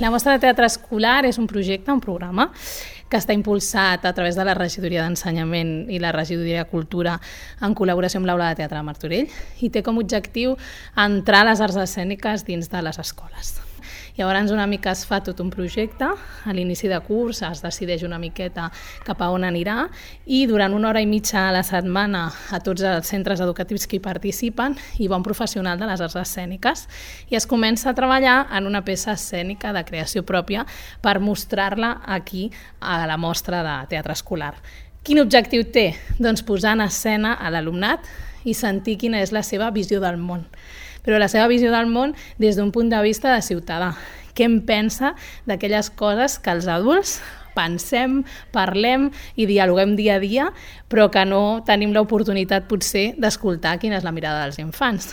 La Mostra de Teatre Escolar és un projecte, un programa, que està impulsat a través de la Regidoria d'Ensenyament i la Regidoria de Cultura en col·laboració amb l'Aula de Teatre de Martorell i té com a objectiu entrar les arts escèniques dins de les escoles. Llavors una mica es fa tot un projecte, a l'inici de curs es decideix una miqueta cap a on anirà i durant 1 hora i mitja a la setmana a tots els centres educatius que hi participen hi va un professional de les arts escèniques i es comença a treballar en una peça escènica de creació pròpia per mostrar-la aquí a la Mostra de Teatre Escolar. Quin objectiu té? Doncs posar en escena a l'alumnat i sentir quina és la seva visió del món. Però la seva visió del món des d'un punt de vista de ciutadà. Què en pensa d'aquelles coses que els adults pensem, parlem i dialoguem dia a dia, però que no tenim l'oportunitat potser d'escoltar quina és la mirada dels infants.